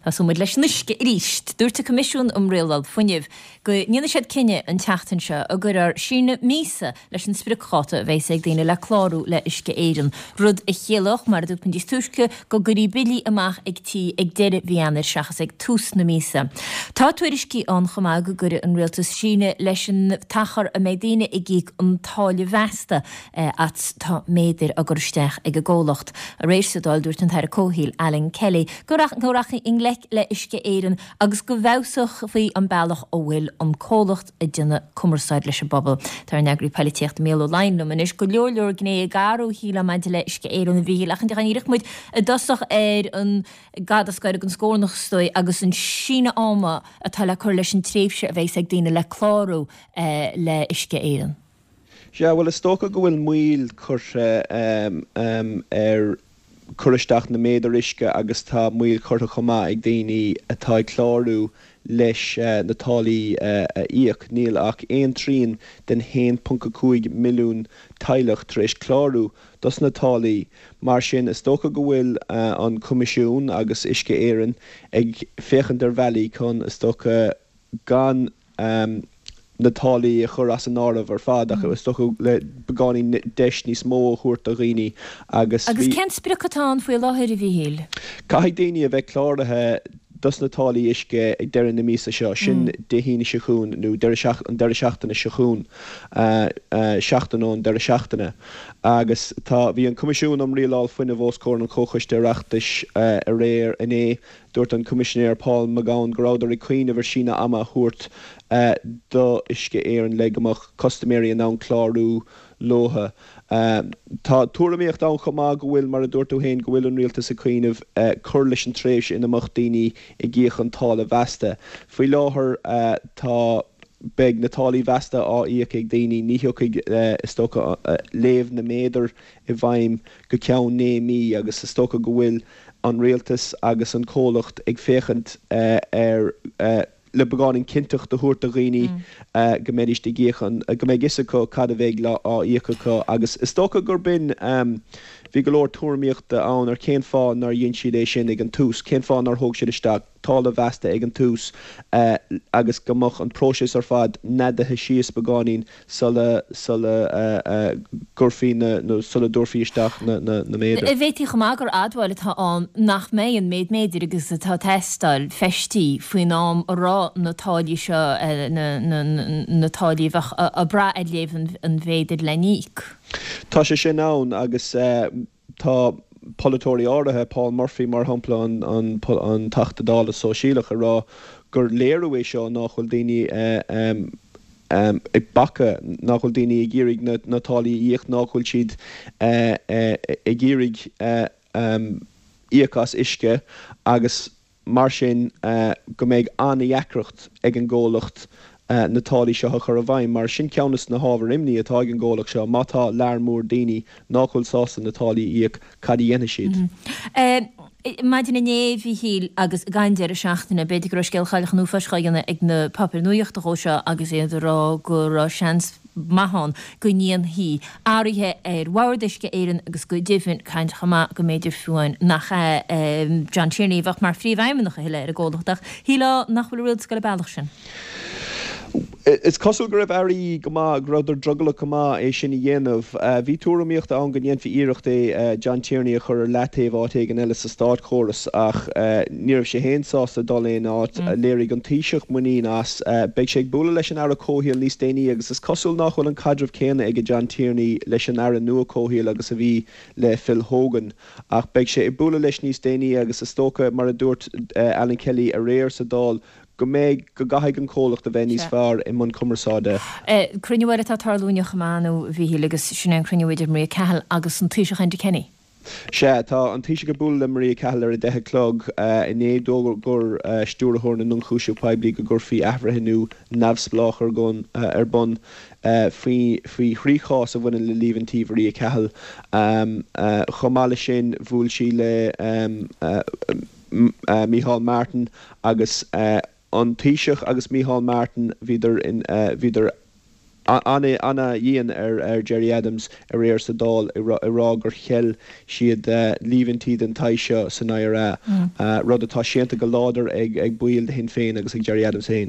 Tosóidh muid leis an uisce arís. Dúirt an Coimisiún um Rialáil Fuinnimh go ndéanfaidh siad cinneadh an tseachtain seo an gcuirfear síneadh míosa leis an spriocdháta a bheas ag daoine le clárú le Uisce Éireann, rud a chiallódh, mar a dúirt muid níos túisce, go gcuirfí billí amach ag tí ag deireadh mhí Eanáir seachas ag tús na míosa. Tá tuairiscí ann chomh maith go gcuirfidh an Rialtas síneadh leis an t-achar a mbeidh daoine ag íoc an táille mheasta as tá méadair á gcur isteach ag an gcomhlacht. Aréir sa Dáil dúirt an tAire Comhshaoil, Alan Kelly, go rachfaí i ngleic le Uisce Éireann agus go bhfeabhsófaí an bealach a bhfuil an comhlacht ag déanamh cumarsáid leis an bpobal. Tá ár n-eagraí poilitíochta Mícheál Ó Laighin liom anois. Go leor leor gnéithe ag athrú shílfeá maidir le Uisce Éireann a Mhíchíl ach an ndíreoidh muid i dtosach ar an gcad as gáire den scornach is dóigh agus an síneadh ama atá le cur leis an tréimhse a bheas ag daoine le clárú le Uisce Éireann. Sea, bhuel is dócha go bhfuil moill curtha ar cur isteach na méadar uisce agus tá moill curtha chomh maith ag daoine atá ag clárú leis na táillí a íoc. Níl ach aon trian den 1.5 milliún teaghlach tar éis clárú dos na táillí. Mar sin, is dócha go bhfuil an Coimisiún agus Uisce Éireann ag féachaint ar bhealaí chun, is dócha, gan na táillí a chur as an áireamh ar fad ach is dócha le beagáinín deis níos mó a thabhairt do dhaoine agus Agus cén sprioc atá ann faoi láthair, a Mhíchíl? Caithfidh daoine a bheith cláraithe dos na táillí uisce ag deireadh na míosa seo, sin Dé hAoine seo chugainn nó an deireadh seachtaine seo chugainn, seachtain ón deireadh seachtaine. Agus tá, bhí an Coimisiún um Rialáil Fuinnimh os comhair an Chomhchoiste Oireachtais aréir, inné, Dúirt an Coimisinéir Paul McGowan go rabhadar ag cuimhneamh ar síneadh ama a thabhairt do Uisce Éireann le go mbeadh custaiméirí in ann clárú leothu. Tá tuairimíocht ann chomh maith go bhfuil, mar a dúirt tú féin, go bhfuil an Rialtas ag cuimhneamh cur leis an tréimhse ina mbeadh daoine ag íoc an táille mheasta. Faoi láthair tá beidh na táillí mheasta á íoc ag daoine, ní thiocfaidh, is dócha, léamh na méadar i bhfeidhm go ceann 9 mí agus is dócha go bhfuil an rialtas agus an comhlacht ag féachaint ar le beagáinín cinnteacht a thabhairt do dhaoine go mbeidís ag íoc an, go mbeidh fhios acu cad a bheidh á íoc acu agus is dócha gur b'in, bhí go leor tuairimíochta ann ar cén fáth nár dhein siad é sin ag an tús, cén fáth nár thóg siad isteach táille mheasta ag an tús agus go mbeadh an próiseas ar fad neadaithe síos beagáinín sula sula gcuirfí na nó sula dtabharfaí isteach na na méadair. Bhféadfaí chomh maith gur admháil atá ann nach mbeidh an méid méadair agus atá ag teastáil feistí faoin am a raibh na táillí seo na na na táillí a bheadh ag brath ar léamh an mhéadair le n-íoc. Tá sé sin ann agus Tá polaiteoirí áirithe, Paul Murphy mar shampla, an Teachta Dála Sóisialach, ag rá gur léiriú é seo nach bhfuil daoine ag bacadh, nach bhfuil daoine ag iarraidh na táillí a íoc, nach bhfuil siad ag iarraidh íoc as uisce agus mar sin go mbeidh an-deacracht ag an gcomhlacht na táillí seo a chur i bhfeidhm, mar sin ceann de na hábhair imní atá ag an gcomhlacht seo, má tá lear mór daoine nách bhfuil sásta na táillí a íoc, cad a dhéanfaidh siad? Maidin inné, a Mhíchíl, agus ag an deireadh seachtaine, b'fhéidir go raibh scéal Chailleach an Uafáis á dhéanamh ag na páipéir nuachta dhó seo agus iad ag rá go raibh seans maith ann go ndéanfaí athruithe ar Bhord Uisce Éireann agus go deimhin, caint chomh maith go mb'fhéidir fiú amháin nach é John Tierney a bheadh mar phríomhfheidhmeannach a thuilleadh ar an gcomhlacht ach shílfeá nach bhfuil an rialtas ag dul an bealach sin. Is cosúil go raibh airí go maith, go rabhadar drogallach go maith é sin a dhéanamh. Bhí tuairimíocht ann go ndéanfaí iarracht é John Tierney a chur ar leataobh áit éigin eile sa státchóras ach ní raibh sé féin sásta dul aon áit. Léirigh an Taoiseach muinín as. Beidh sé ag bualadh leis an Aire Comhshaoil níos déanaí agus is cosúil nach bhfuil an caidreamh céanna ag John Tierney leis an Aire nua Comhshaoil agus a bhí le Phil Hogan. Ach beidh sé ag bualadh leis níos déanaí agus is dócha, mar a dúirt Alan Kelly aréir sa Dáil, go mbeidh, go gcaithfidh an comhlacht a bheith níos fearr i mbun cumarsáide. Cruinniú eile atá ag tarlú inniu chomh maith, a Mhíchíl, agus sin é an cruinniú idir Maria Cahill agus an Taoiseach Enda Kenny. Sea, tá an Taoiseach ag bualadh le Maria Cahill ar a 10 a chlog. Inné d'fhógair Stiúrthóir na nIonchúiseamh Poiblí go gcuirfí athbhreithniú neamhspleách ar bun faoi thrí chás a bhaineann le líomhaintí Mharia Cahill. Chomh maith leis sin, bhuail sí le Micheál Martin agus an Taoiseach agus Micheál Martin, bhíodar, bhíodar. Ana-dhian ar Gerry Adams aréir sa Dáil ag rá gur cheil siad líomhaintí den tsaghas seo san IRA, rud atá séanta go láidir ag baill de Shinn Féin agus ag Gerry Adams féin.